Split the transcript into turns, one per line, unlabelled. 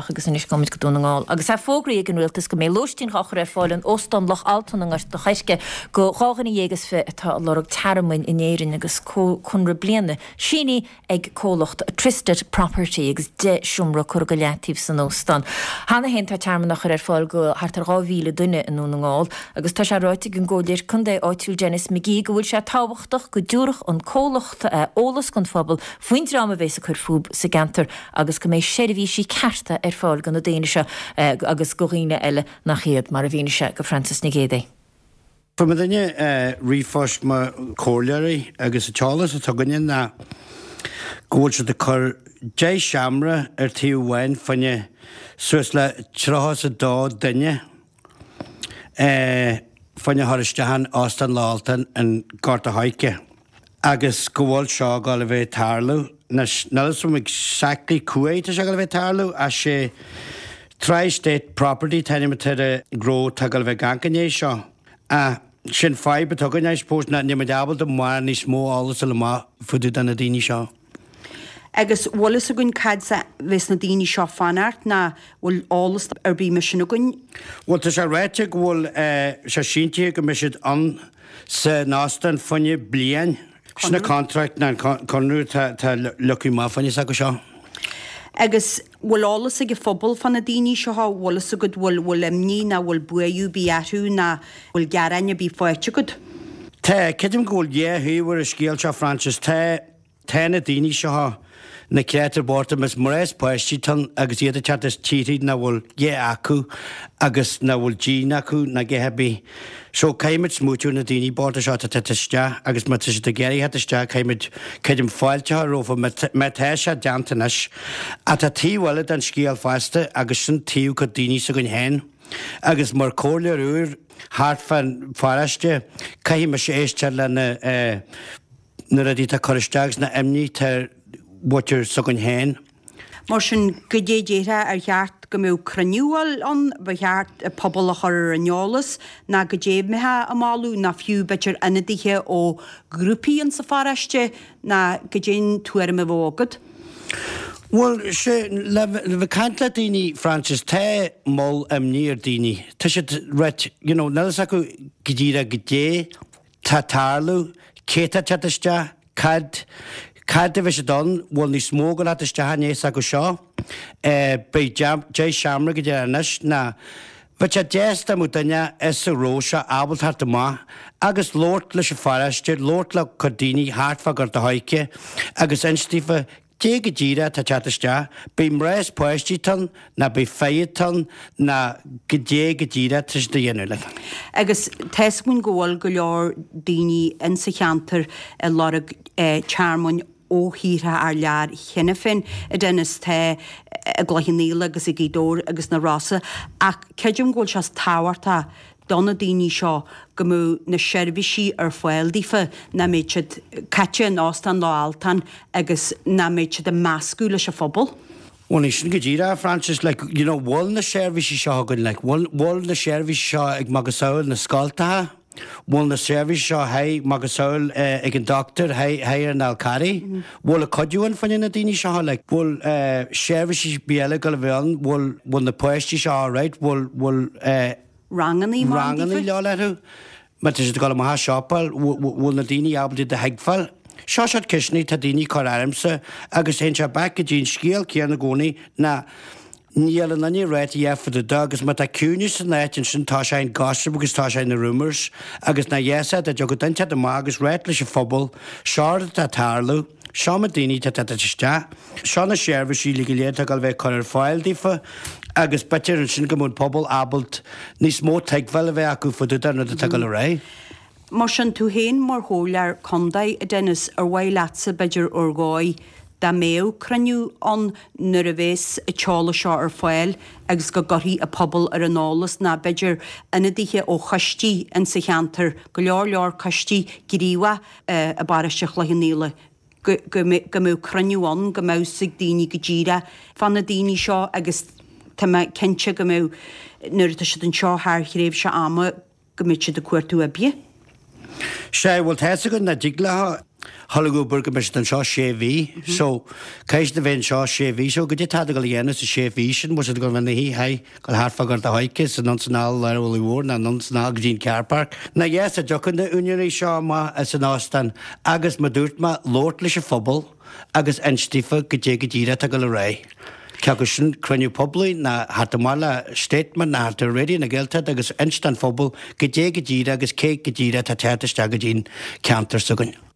Luimneach agus anois gabhaimid go Dún na nGall. Agus é fógraithe ag an Rialtas go mbeidh lóistín á chur ar fáil in Óstán Loch Altan i nGort a' Choirce go 12,000 atá ag lorg tearmainn in Éirinn agus conradh bliana sínithe ag comhlacht Tristed Property agus 10 seomra curtha go leataobh san óstán. Cheana féin tá tearmann á chur ar fáil go thart ar 2,000 duine i nDún na nGall agus tá sé ráite ag an gComhairleoir Contae áitiúil Denis McGee go bhfuil sé tábhachtach go dtabharfadh an comhlacht eolas don phobal faoin dream a bhéas ag cur fúthu sa gceantar agus go mbeidh seirbhísí cearta ar fáil do na daoine seo agus do dhaoine eile nach iad, mar a mhínigh sé go Frances Nic Géadaigh.
Fuair muidinne ríomhphost mo chomhairleoirí agus an t-eolas atá againne ná go bhfuil siad ag cur 10 seomra ar taobh amháin fá choinne suas le 32 duine fá choinne a chur isteach in Óstán Loch Altan in Gort a' Choirce agus go bhfuil seo ag dul a bheith ag tarlú. Anois, níl a fhios agam exactly cá huair tá sé ag dul a bheith ag tarlú ach sé Tri-State Property an t-ainm atá ar an ngnó atá ag dul a bheith ag amharc i ndiaidh seo. Ach sin fadhb atá againn I suppose ná níl muid ábalta mórán níos mó eolas a fháil amach fá dtaobh de na daoine seo.
Agus bhfuil fhios againn cad as a bheas na daoine seo fanacht ná bhfuil eolas ar bith mar sin againn?
Bhuel tá sé ráite go bhfuil sé síntithe go mbeidh siad ann san óstán fá choinne bliain. Sin an contract ná an conradh atá leagtha amach fá choinne s'acu seo.
Agus bhfuil eolas ag an phobal fá na daoine seo, bhfuil fhios agat bhfuil bhfuil imní ná bhfuil buaireamh ar bith orthu ná bhfuil gearáin ar bith faighte agat?
Tá, creidim go bhfuil dhá thaobh ar an scéal seo Frances. Tá. Tá na daoine seo, na créatúir bochta, is mná is páistí atá ann agus iad ag teacht as tíortha nach bhfuil a dhath acu agus nach bhfuil díon acu ná a dhath ar bith. So caithfimid smaoitiú ar na daoine bochta seo atá ag teacht isteach agus má tá siad ag iarraidh theacht isteach caithfimid, creidim, fáilte a chur rompu má tá sé déanta anois. Ach tá taobh eile den scéal fosta agus sin taobh cuid daoine s'againn féin agus mar chomhairleoir úr thart fán pharóiste caithfidh mise éisteacht le na na rudaí atá ag cur isteach agus na imní atá ar mhuintir s'againn féin.
Mar sin, goidé déarfá ar cheart go mbeadh cruinniú ann, ba cheart an pobal a chur ar an eolas, ná goidé a mbeifeá ag moladh, ná fiú b'fhéidir ionadaithe ó ghrúpaí insa pharóiste, ná goidé an tuairim a bheadh agat?
Bhuel, sé, le bheith ag caint le daoine, Frances, tá moll imní ar daoine. Tá siad, right, you know, níl fhios acu go díreach goidé tá ag tarlú, cé tá ag teacht isteach, cad, cad a bheidh siad ann, bhfuil níos mó ag dul a theacht isteach i ndiaidh s'acu seo, beidh 10 seomra go dtí anois ná bheadh sé deas dá mbeadh duine as an ghnó seo ábalta theacht amach agus labhairt leis an pharóiste, labhairt le cuid daoine thart fá Ghort a' Choirce agus inst daofa Cé go díreach atá ag teacht isteach? Beidh mná is páistí atá ann, ná beidh fir atá ann, ná goidé go díreach atá siad a dhéanamh like.
Agus tá's againn go bhfuil go leor daoine insa cheantar ag lorg tearmainn ó thíortha thar lear cheana féin, a Dennis, tá i gCloich Cheann Fhaola agus i Gaoth Dobhair agus na Rosa ach creidim go bhfuil sé tábhachtach do na daoine seo go mbeadh na seirbhísí ar fáil daofa, nach mbeadh siad caite in Óstán Loch Altan agus nach mbeadh siad ag meascadh leis an phobal.
Bhuel, ní sin go díreach, Frances, like, you know, bhfuil na seirbhísí seo againn, like, bhfuil, bhfuil na seirbhísí seo ag macasamhail na scoltacha, bhfuil na seirbhísí seo high macasamhail eh, ag an doctor, high, high ar an Fhál Carraigh, bhfuil a cuidiú ann fá choinne na daoine seo, like, bhfuil eh, seirbhísí bia eile ag dul a bheith ann, bhfuil, bhfuil na páistí seo alright, bhfuil, bhfuil eh,
rangannaí mar an
rangannaí le dhul orthu, má tá siad ag dul amach ag siopail, bhfuil na daoine ábalta iad a thuigbheáil. Seo siad ceisteanna tá daoine ag cur ormsa agus théann sé back go dtí an scéal céanna i gcónaí ná níl aon duine ag ráit a dhath fá dtaobh de agus má tá ciúineas san áit ansin tá sé in gossip agus tá sé in rumours agus nach dheas é dá dtiocfadh duine inteacht amach agus ráit leis an phobal seo rud atá ag tarlú. Seo na daoine atá ag teacht isteach. Seo na seirbhísí uilig go léir atá ag dul a bheith ag cur ar fáil daofa agus b'fhéidir ansin go mbeadh an pobal ábalta níos mó tuigbheáil a bheith acu fá dtaobh den rud atá ag dul ar aghaidh.
Mar sin, tú féin mar chomhairleoir contae, a Dennis, ar mhaith leatsa, b'fhéidir, ar dhóigh, dá mbeadh cruinniú ann nuair a bheas an t-eolas seo ar fáil agus go gcuirfí an pobal ar an eolas, ná b'fhéidir ionadaithe ó choistí insa cheantar, go leor leor coistí gníomhach, i bparóiste Chloich Cheann Fhaola, go mbeadh cruinniú ann, go mbeadh 'fhios ag daoine go díreach fá na daoine seo agus tá mé cinnte go mbeadh, nuair atá siad anseo thar thréimhse ama, go mbeadh siad ag cuartú oibre.
Sea, bhuel tá fhios againn nach dtig leo dhul ag obair go mbeidh siad anseo sé mhí. So, caithfidh siad a bheith anseo sé mhí. So, goidé tá ag dul a dhéanamh sa sé mhí sin, bhfuil siad ag dul a bheith ina shuí, hi, dul thart fá Ghort a' Choirce, is anonn 's anall lár an Mhullaigh Mhóir ná anonn 's anall go dtí an car park. Ná yes, a dtiocfaidh na úinéirí seo amach as an óstán agus mar dúirt mé, labhairt leis an phobal agus inst daofa goidé go díreach atá ag dul ar aghaidh. Cé acu sin cruinniú poiblí ná theacht amach le statement ná theacht ar Raidió na Gaeltachta agus inst don phobal goidé go díreach agus cé go díreach atá ag teacht isteach go dtí an ceantar s'againn.